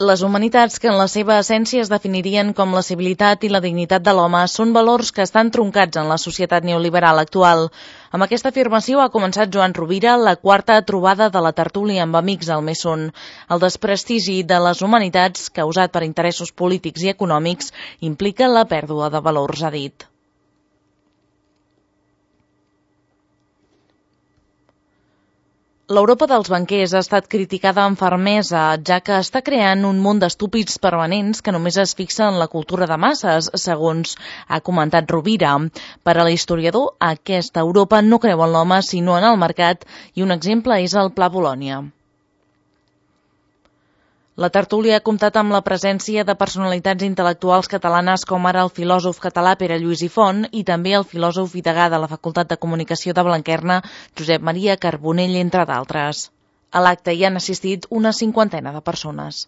Les humanitats, que en la seva essència es definirien com la civilitat i la dignitat de l'home, són valors que estan troncats en la societat neoliberal actual. Amb aquesta afirmació ha començat Joan Rovira la quarta trobada de la tertúlia amb amics al Mesón. El desprestigi de les humanitats, causat per interessos polítics i econòmics, implica la pèrdua de valors, ha dit. L'Europa dels banquers ha estat criticada amb fermesa, ja que està creant un munt d'estúpids permanents que només es fixen en la cultura de masses, segons ha comentat Rovira. Per a l'historiador, aquesta Europa no creu en l'home sinó en el mercat, i un exemple és el Pla Bolònia. La tertúlia ha comptat amb la presència de personalitats intel·lectuals catalanes com ara el filòsof català Pere Lluís i Font i també el filòsof i degà de la Facultat de Comunicació de Blanquerna, Josep Maria Carbonell, entre d'altres. A l'acte hi han assistit una 50 de persones.